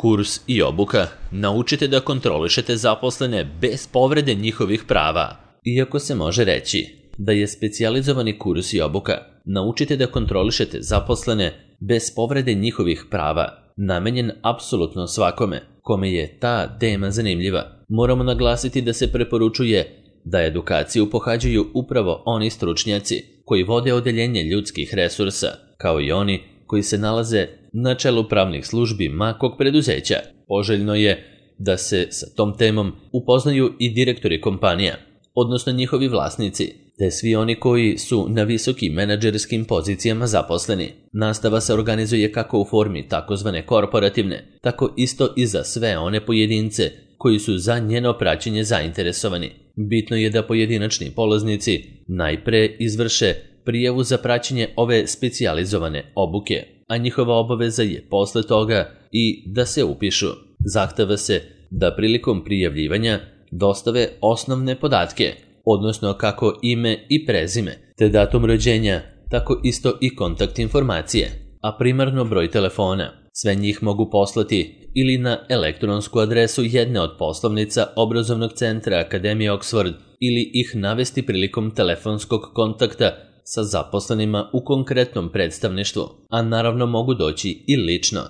Kurs i obuka. Naučite da kontrolišete zaposlene bez povrede njihovih prava. Iako se može reći da je specijalizovani kurs i obuka naučite da kontrolišete zaposlene bez povrede njihovih prava, namenjen apsolutno svakome kome je ta tema zanimljiva, moramo naglasiti da se preporučuje da edukaciju pohađaju upravo oni stručnjaci koji vode odeljenje ljudskih resursa, kao i oni koji se nalaze na čelu pravnih službi makog preduzeća. Poželjno je da se sa tom temom upoznaju i direktori kompanija, odnosno njihovi vlasnici, te svi oni koji su na visokim menadžerskim pozicijama zaposleni. Nastava se organizuje kako u formi takozvane korporativne, tako isto i za sve one pojedince koji su za njeno praćenje zainteresovani. Bitno je da pojedinačni polaznici najpre izvrše prijavu za praćenje ove specijalizovane obuke, a njihova obaveza je posle toga i da se upišu. Zahteva se da prilikom prijavljivanja dostave osnovne podatke, odnosno kako ime i prezime, te datum rođenja, tako isto i kontakt informacije, a primarno broj telefona. Sve njih mogu poslati ili na elektronsku adresu jedne od poslovnica obrazovnog centra Akademije Oxford ili ih navesti prilikom telefonskog kontakta sa zaposlenima u konkretnom predstavništvu, a naravno mogu doći i lično,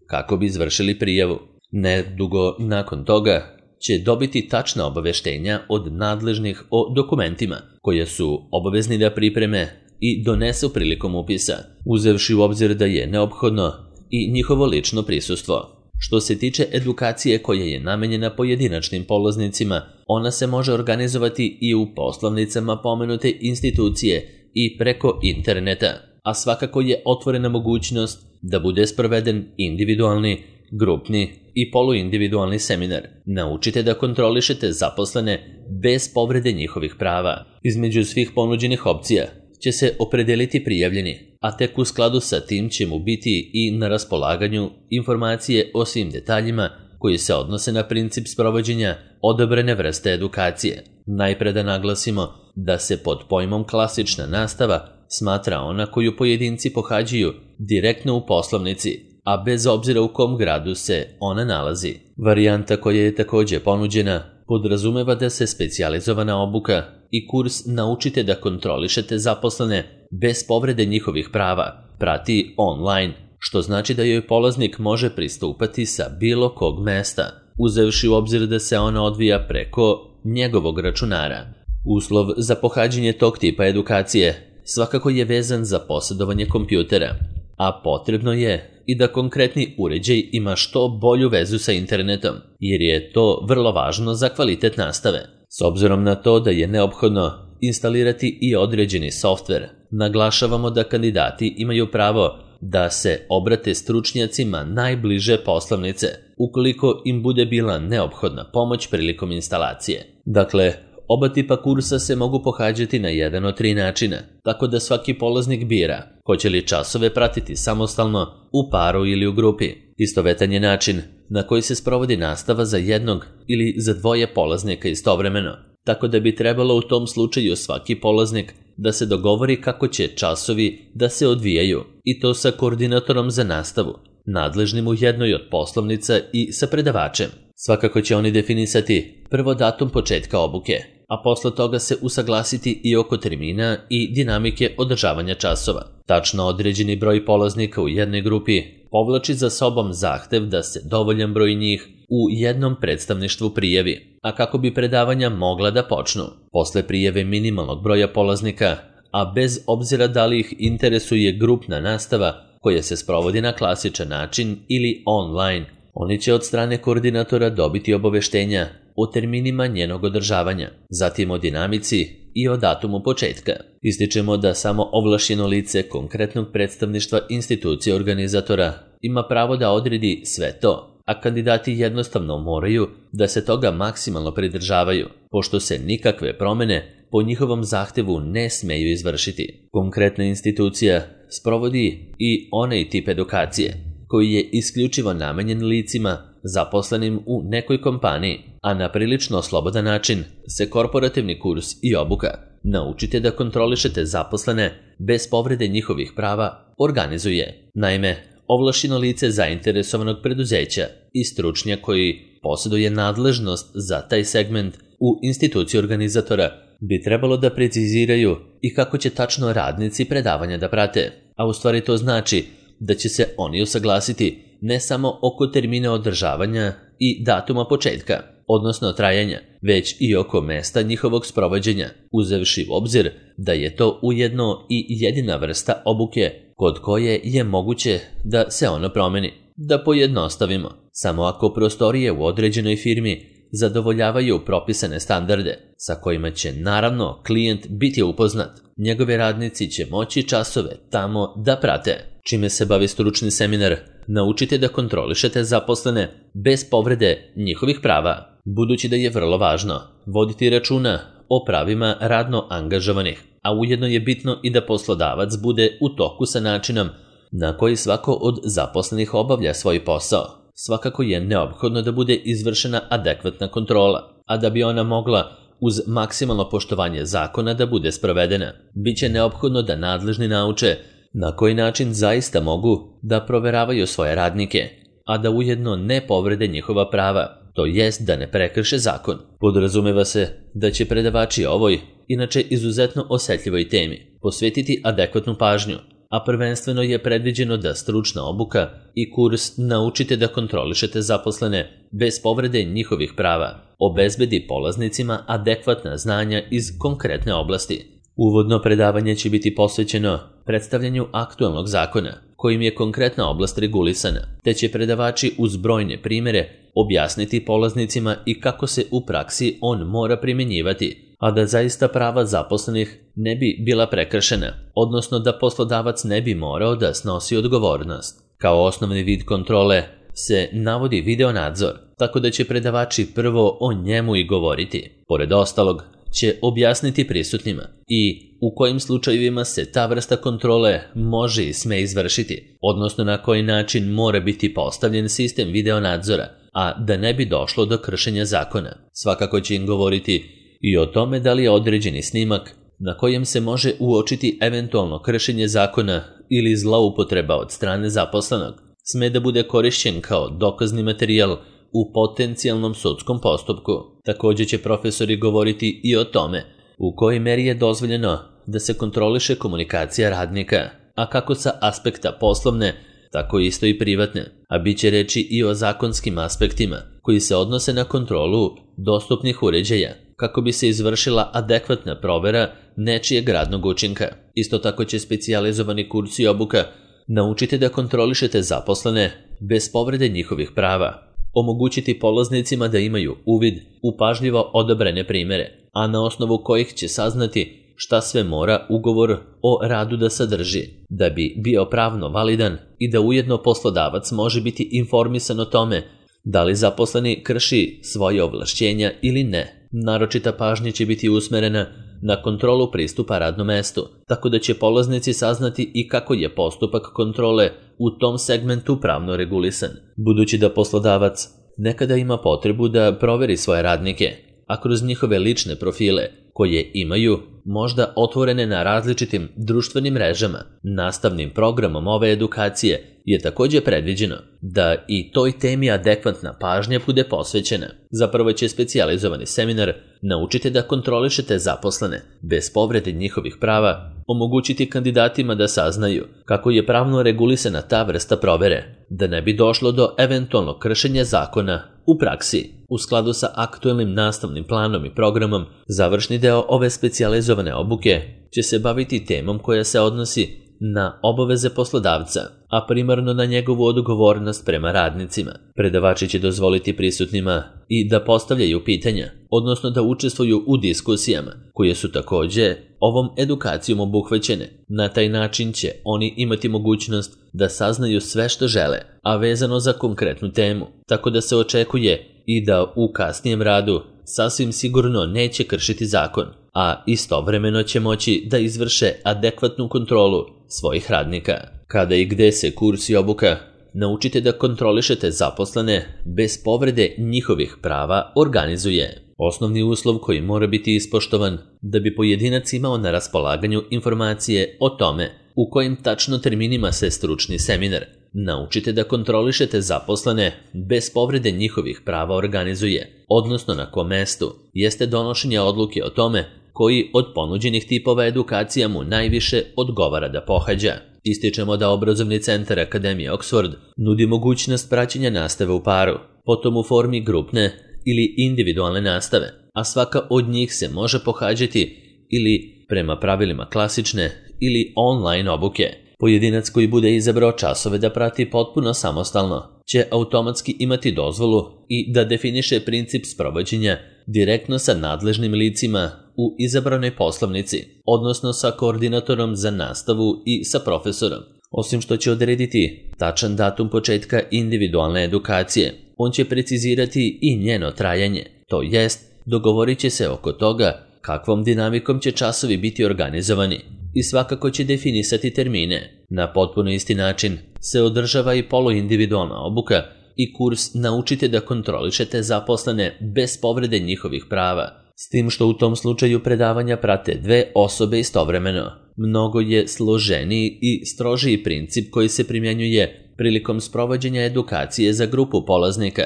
kako bi izvršili prijavu. Nedugo nakon toga će dobiti tačna obaveštenja od nadležnih o dokumentima koje su obavezni da pripreme i donesu prilikom upisa, uzevši u obzir da je neophodno i njihovo lično prisustvo. Što se tiče edukacije koja je namenjena pojedinačnim polaznicima, ona se može organizovati i u poslovnicama pomenute institucije i preko interneta, a svakako je otvorena mogućnost da bude sproveden individualni, grupni i poluindividualni seminar. Naučite da kontrolišete zaposlene bez povrede njihovih prava. Između svih ponuđenih opcija će se opredeliti prijavljeni, a tek u skladu sa tim će mu biti i na raspolaganju informacije o svim detaljima koji se odnose na princip sprovođenja odabrane vrste edukacije. Najpre da naglasimo da se pod pojmom klasična nastava smatra ona koju pojedinci pohađaju direktno u poslovnici, a bez obzira u kom gradu se ona nalazi. Varijanta koja je također ponuđena podrazumeva da se specijalizovana obuka i kurs naučite da kontrolišete zaposlene bez povrede njihovih prava prati online, što znači da joj polaznik može pristupati sa bilo kog mesta, uzevši u obzir da se ona odvija preko njegovog računara. Uslov za pohađanje tog tipa edukacije svakako je vezan za posjedovanje kompjutera, a potrebno je i da konkretni uređaj ima što bolju vezu sa internetom, jer je to vrlo važno za kvalitet nastave. S obzirom na to da je neophodno instalirati i određeni softver, naglašavamo da kandidati imaju pravo da se obrate stručnjacima najbliže poslovnice, ukoliko im bude bila neophodna pomoć prilikom instalacije. Dakle, oba tipa kursa se mogu pohađati na jedan od 3 načina, tako da svaki polaznik bira hoće li časove pratiti samostalno, u paru ili u grupi. Istovetan je način na koji se sprovodi nastava za jednog ili za 2 polaznika istovremeno, tako da bi trebalo u tom slučaju svaki polaznik da se dogovori kako će časovi da se odvijaju, i to sa koordinatorom za nastavu, nadležnim u jednoj od poslovnica i sa predavačem. Svakako će oni definisati prvo datum početka obuke, a posle toga se usaglasiti i oko termina i dinamike održavanja časova. Tačno određeni broj polaznika u jednoj grupi povlači za sobom zahtev da se dovoljan broj njih u jednom predstavništvu prijavi, a kako bi predavanja mogla da počnu. Posle prijave minimalnog broja polaznika, a bez obzira da li ih interesuje grupna nastava koja se sprovodi na klasičan način ili online, oni će od strane koordinatora dobiti obaveštenja o terminima njenog održavanja, zatim o dinamici i o datumu početka. Ističemo da samo ovlašćeno lice konkretnog predstavništva institucije organizatora ima pravo da odredi sve to, a kandidati jednostavno moraju da se toga maksimalno pridržavaju, pošto se nikakve promene po njihovom zahtevu ne smeju izvršiti. Konkretna institucija sprovodi i onaj tip edukacije koji je isključivo namenjen licima zaposlenim u nekoj kompaniji, a na prilično slobodan način se korporativni kurs i obuka naučite da kontrolišete zaposlene bez povrede njihovih prava organizuje. Naime, ovlašćeno lice zainteresovanog preduzeća i stručnjak koji posjeduje nadležnost za taj segment u instituciji organizatora bi trebalo da preciziraju i kako će tačno radnici predavanja da prate, a u stvari to znači da će se oni usaglasiti ne samo oko termina održavanja i datuma početka, odnosno trajanja, već i oko mesta njihovog sprovođenja, uzevši u obzir da je to ujedno i jedina vrsta obuke kod koje je moguće da se ono promeni. Da pojednostavimo, samo ako prostorije u određenoj firmi zadovoljavaju propisane standarde sa kojima će naravno klijent biti upoznat, njegovi radnici će moći časove tamo da prate. Čime se bavi stručni seminar? Naučite da kontrolišete zaposlene bez povrede njihovih prava, budući da je vrlo važno voditi računa o pravima radno angažovanih, a ujedno je bitno i da poslodavac bude u toku sa načinom na koji svako od zaposlenih obavlja svoj posao. Svakako je neophodno da bude izvršena adekvatna kontrola, a da bi ona mogla uz maksimalno poštovanje zakona da bude sprovedena, biće neophodno da nadležni nauče na koji način zaista mogu da proveravaju svoje radnike, a da ujedno ne povrede njihova prava, to jest da ne prekrše zakon. Podrazumeva se da će predavači ovoj, inače izuzetno osetljivoj temi, posvetiti adekvatnu pažnju, a prvenstveno je predviđeno da stručna obuka i kurs Naučite da kontrolišete zaposlene bez povrede njihovih prava obezbedi polaznicima adekvatna znanja iz konkretne oblasti. Uvodno predavanje će biti posvećeno predstavljanju aktualnog zakona, kojim je konkretna oblast regulisana, te će predavači uz brojne primjere objasniti polaznicima i kako se u praksi on mora primjenjivati, a da zaista prava zaposlenih ne bi bila prekršena, odnosno da poslodavac ne bi morao da snosi odgovornost. Kao osnovni vid kontrole se navodi video nadzor, tako da će predavači prvo o njemu i govoriti. Pored ostalog, će objasniti prisutnima i u kojim slučajevima se ta vrsta kontrole može i sme izvršiti, odnosno na koji način mora biti postavljen sistem video nadzora, a da ne bi došlo do kršenja zakona. Svakako će im govoriti i o tome da li je određeni snimak na kojem se može uočiti eventualno kršenje zakona ili zloupotreba od strane zaposlenog sme da bude korišćen kao dokazni materijal u potencijalnom sudskom postupku. Također će profesori govoriti i o tome u kojoj meri je dozvoljeno da se kontroliše komunikacija radnika, a kako sa aspekta poslovne, tako isto i privatne, a bit će reći i o zakonskim aspektima koji se odnose na kontrolu dostupnih uređaja, kako bi se izvršila adekvatna provera nečijeg radnog učinka. Isto tako će specijalizovani kurs i obuka Naučite da kontrolišete zaposlene bez povrede njihovih prava omogućiti polaznicima da imaju uvid u pažljivo odabrane primjere, a na osnovu kojih će saznati šta sve mora ugovor o radu da sadrži, da bi bio pravno validan i da ujedno poslodavac može biti informisan o tome da li zaposleni krši svoje ovlašćenja ili ne. Naročita pažnja će biti usmerena na kontrolu pristupa radnom mestu, tako da će polaznici saznati i kako je postupak kontrole u tom segmentu pravno regulisan. Budući da poslodavac nekada ima potrebu da proveri svoje radnike, a kroz njihove lične profile, koje imaju možda otvorene na različitim društvenim mrežama, nastavnim programom ove edukacije je također predviđeno da i toj temi adekvatna pažnja bude posvećena. Zapravo će specijalizovani seminar Naučite da kontrolišete zaposlene bez povrede njihovih prava omogućiti kandidatima da saznaju kako je pravno regulisana ta vrsta provere, da ne bi došlo do eventualnog kršenja zakona u praksi. U skladu sa aktuelnim nastavnim planom i programom, završni deo ove specijalizovane obuke će se baviti temom koja se odnosi na obaveze poslodavca, a primarno na njegovu odgovornost prema radnicima. Predavači će dozvoliti prisutnima i da postavljaju pitanja, odnosno da učestvuju u diskusijama, koje su također ovom edukacijom obuhvaćene. Na taj način će oni imati mogućnost da saznaju sve što žele, a vezano za konkretnu temu, tako da se očekuje i da u kasnijem radu sasvim sigurno neće kršiti zakon, a istovremeno će moći da izvrše adekvatnu kontrolu svojih radnika. Kada i gde se kurs i obuka Naučite da kontrolišete zaposlene bez povrede njihovih prava organizuje. Osnovni uslov koji mora biti ispoštovan da bi pojedinac imao na raspolaganju informacije o tome u kojim tačno terminima se stručni seminar naučite da kontrolišete zaposlene bez povrede njihovih prava organizuje, odnosno na kom mestu, jeste donošenje odluke o tome koji od ponuđenih tipova edukacija mu najviše odgovara da pohađa. Ističemo da obrazovni centar Akademije Oxford nudi mogućnost praćenja nastave u paru, potom u formi grupne ili individualne nastave, a svaka od njih se može pohađati ili prema pravilima klasične ili online obuke. Pojedinac koji bude izabrao časove da prati potpuno samostalno će automatski imati dozvolu i da definiše princip sprovođenja direktno sa nadležnim licima u izabranoj poslovnici, odnosno sa koordinatorom za nastavu i sa profesorom. Osim što će odrediti tačan datum početka individualne edukacije, on će precizirati i njeno trajanje, to jest dogovorit će se oko toga kakvom dinamikom će časovi biti organizovani i svakako će definisati termine. Na potpuno isti način se održava i poluindividualna obuka i kurs Naučite da kontrolišete zaposlene bez povrede njihovih prava, s tim što u tom slučaju predavanja prate dve osobe istovremeno. Mnogo je složeniji i strožiji princip koji se primjenjuje prilikom sprovođenja edukacije za grupu polaznika,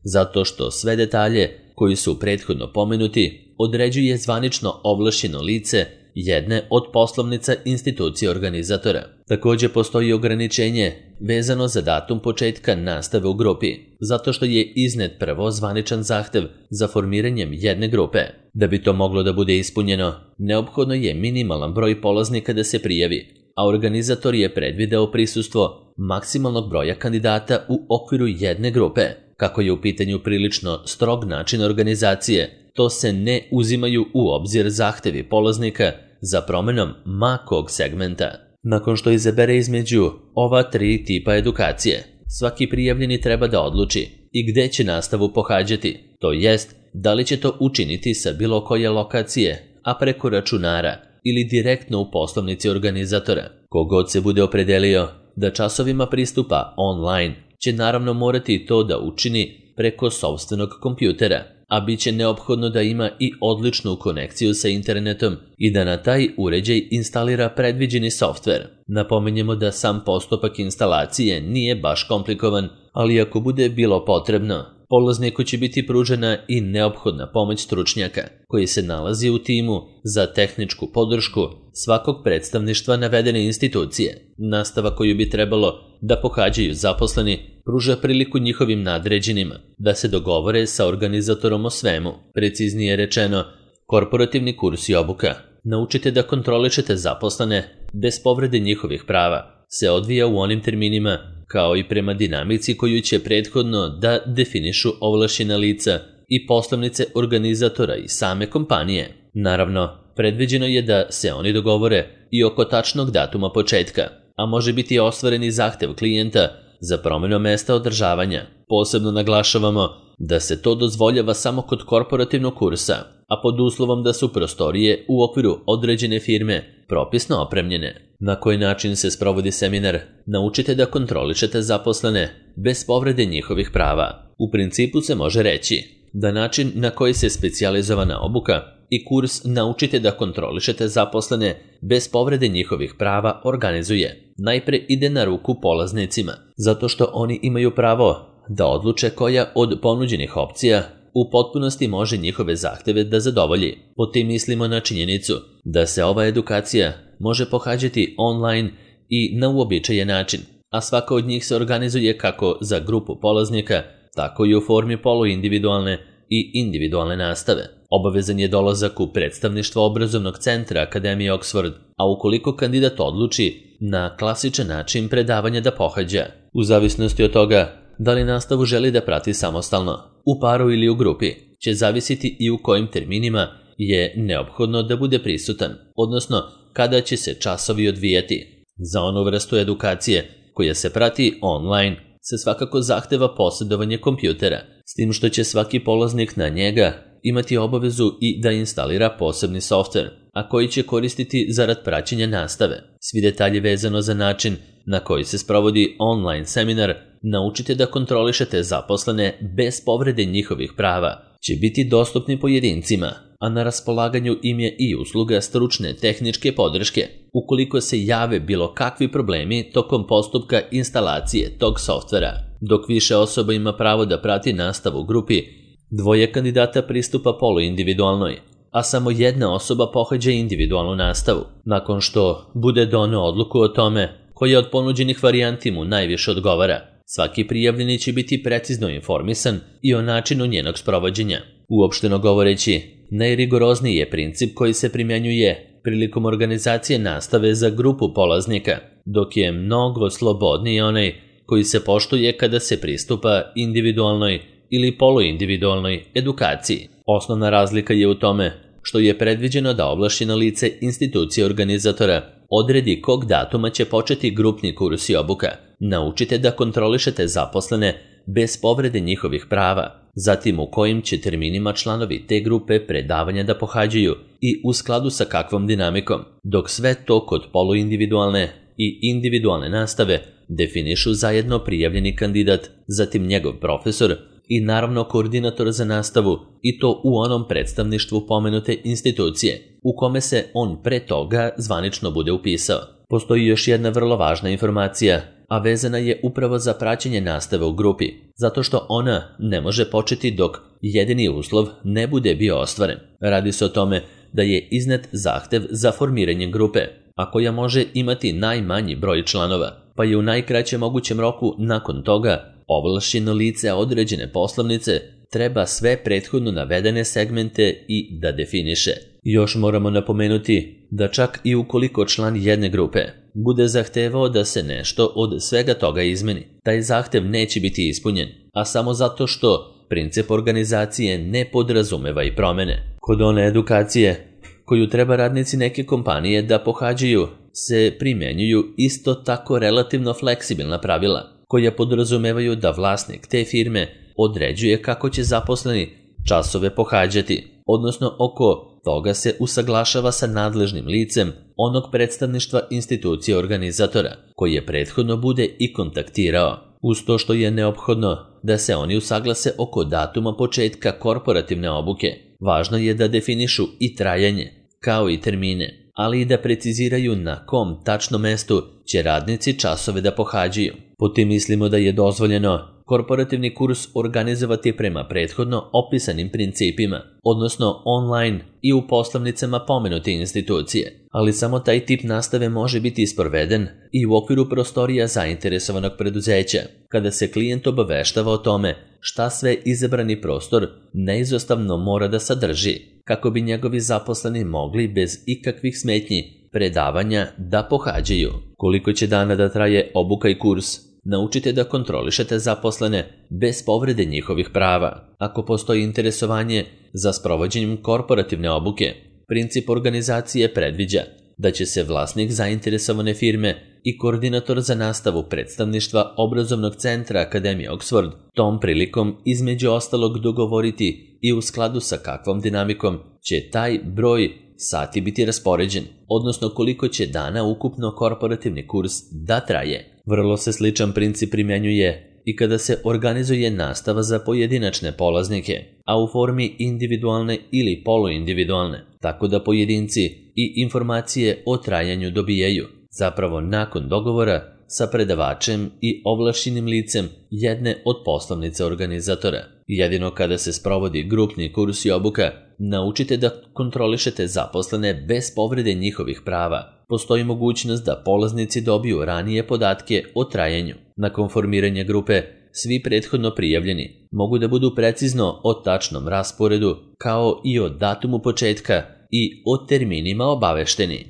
zato što sve detalje koji su prethodno pomenuti određuje zvanično ovlašćeno lice jedne od poslovnica institucije organizatora. Također postoji ograničenje vezano za datum početka nastave u grupi, zato što je iznet prvo zvaničan zahtev za formiranjem jedne grupe. Da bi to moglo da bude ispunjeno, neophodno je minimalan broj polaznika da se prijavi, a organizator je predvideo prisustvo maksimalnog broja kandidata u okviru jedne grupe. Kako je u pitanju prilično strog način organizacije, to se ne uzimaju u obzir zahtevi polaznika za promenom ma kog segmenta. Nakon što izabere između ova tri tipa edukacije, svaki prijavljeni treba da odluči i gde će nastavu pohađati, to jest da li će to učiniti sa bilo koje lokacije, a preko računara ili direktno u poslovnici organizatora. Kogod se bude opredelio da časovima pristupa online, će naravno morati to da učini preko sopstvenog kompjutera, a bit će neophodno da ima i odličnu konekciju sa internetom i da na taj uređaj instalira predviđeni softver. Napominjemo da sam postupak instalacije nije baš komplikovan, ali ako bude bilo potrebno, polazniku će biti pružena i neophodna pomoć stručnjaka koji se nalazi u timu za tehničku podršku svakog predstavništva navedene institucije. Nastava koju bi trebalo da pohađaju zaposleni pruža priliku njihovim nadređenima da se dogovore sa organizatorom o svemu. Preciznije rečeno, korporativni kurs i obuka Naučite da kontrolišete zaposlene bez povrede njihovih prava se odvija u onim terminima kao i prema dinamici koju će prethodno da definišu ovlašćena lica i poslovnice organizatora i same kompanije. Naravno, predviđeno je da se oni dogovore i oko tačnog datuma početka, a može biti ostvaren i zahtev klijenta za promjenu mesta održavanja. Posebno naglašavamo da se to dozvoljava samo kod korporativnog kursa, a pod uslovom da su prostorije u okviru određene firme propisno opremljene. Na koji način se sprovodi seminar Naučite da kontrolišete zaposlene bez povrede njihovih prava. U principu se može reći da način na koji se specijalizovana obuka i kurs Naučite da kontrolišete zaposlene bez povrede njihovih prava organizuje. Najpre ide na ruku polaznicima, zato što oni imaju pravo da odluče koja od ponuđenih opcija u potpunosti može njihove zahteve da zadovolji. Po tim mislimo na činjenicu da se ova edukacija može pohađati online i na uobičajen način, a svaka od njih se organizuje kako za grupu polaznika, tako i u formi poluindividualne i individualne nastave. Obavezan je dolazak u predstavništvo obrazovnog centra Akademije Oxford, a ukoliko kandidat odluči na klasičan način predavanja da pohađa, u zavisnosti od toga da li nastavu želi da prati samostalno, u paru ili u grupi, će zavisiti i u kojim terminima je neophodno da bude prisutan, odnosno kada će se časovi odvijati. Za onu vrstu edukacije koja se prati online se svakako zahteva posjedovanje kompjutera, s tim što će svaki polaznik na njega imati obavezu i da instalira posebni softver, a koji će koristiti zarad praćenja nastave. Svi detalji vezano za način na koji se sprovodi online seminar naučite da kontrolišete zaposlene bez povrede njihovih prava će biti dostupni pojedincima, a na raspolaganju im je i usluga stručne tehničke podrške ukoliko se jave bilo kakvi problemi tokom postupka instalacije tog softvera. Dok više osoba ima pravo da prati nastavu u grupi, 2 kandidata pristupa poluindividualnoj, a samo 1 osoba pohađa individualnu nastavu. Nakon što bude doneo odluku o tome koja od ponuđenih varijanti mu najviše odgovara, svaki prijavljeni će biti precizno informisan i o načinu njenog sprovođenja. Uopšteno govoreći, najrigorozniji je princip koji se primjenjuje prilikom organizacije nastave za grupu polaznika, dok je mnogo slobodniji onaj koji se poštuje kada se pristupa individualnoj ili poluindividualnoj edukaciji. Osnovna razlika je u tome što je predviđeno da ovlašćeno lice institucije organizatora odredi kog datuma će početi grupni kurs i obuka. Naučite da kontrolišete zaposlene bez povrede njihovih prava, zatim u kojim će terminima članovi te grupe predavanja da pohađaju i u skladu sa kakvom dinamikom, dok sve to kod poluindividualne i individualne nastave definišu zajedno prijavljeni kandidat, zatim njegov profesor i naravno koordinator za nastavu, i to u onom predstavništvu pomenute institucije u kome se on pre toga zvanično bude upisao. Postoji još jedna vrlo važna informacija, a vezana je upravo za praćenje nastave u grupi, zato što ona ne može početi dok jedini uslov ne bude bio ostvaren. Radi se o tome da je iznet zahtev za formiranje grupe, a koja može imati najmanji broj članova, pa je u najkraćem mogućem roku nakon toga ovlašćeno lice određene poslovnice treba sve prethodno navedene segmente i da definiše. Još moramo napomenuti da čak i ukoliko član jedne grupe bude zahtevao da se nešto od svega toga izmeni, taj zahtev neće biti ispunjen, a samo zato što princip organizacije ne podrazumeva i promene. Kod one edukacije koju treba radnici neke kompanije da pohađaju se primjenjuju isto tako relativno fleksibilna pravila, koja podrazumevaju da vlasnik te firme određuje kako će zaposleni časove pohađati, odnosno oko toga se usaglašava sa nadležnim licem onog predstavništva institucije organizatora, koji je prethodno bude i kontaktirao. Uz to što je neophodno da se oni usaglase oko datuma početka korporativne obuke, važno je da definišu i trajanje, kao i termine, ali i da preciziraju na kom tačno mestu će radnici časove da pohađaju. Po tim mislimo da je dozvoljeno korporativni kurs organizovati prema prethodno opisanim principima, odnosno online i u poslovnicama pomenute institucije, ali samo taj tip nastave može biti sproveden i u okviru prostorija zainteresovanog preduzeća, kada se klijent obaveštava o tome šta sve izabrani prostor neizostavno mora da sadrži, kako bi njegovi zaposleni mogli bez ikakvih smetnji predavanja da pohađaju. Koliko će dana da traje obuka i kurs, naučite da kontrolišete zaposlene bez povrede njihovih prava. Ako postoji interesovanje za sprovođenjem korporativne obuke, princip organizacije predviđa da će se vlasnik zainteresovane firme i koordinator za nastavu predstavništva obrazovnog centra Akademije Oxford tom prilikom između ostalog dogovoriti i u skladu sa kakvom dinamikom će taj broj sati biti raspoređen, odnosno koliko će dana ukupno korporativni kurs da traje. Vrlo se sličan princip primjenjuje i kada se organizuje nastava za pojedinačne polaznike, a u formi individualne ili poluindividualne, tako da pojedinci i informacije o trajanju dobijaju, zapravo nakon dogovora sa predavačem i ovlašćenim licem jedne od poslovnice organizatora. Jedino kada se sprovodi grupni kurs i obuka, naučite da kontrolišete zaposlene bez povrede njihovih prava. Postoji mogućnost da polaznici dobiju ranije podatke o trajanju. Nakon formiranja grupe, svi prethodno prijavljeni mogu da budu precizno o tačnom rasporedu, kao i o datumu početka i o terminima obavešteni.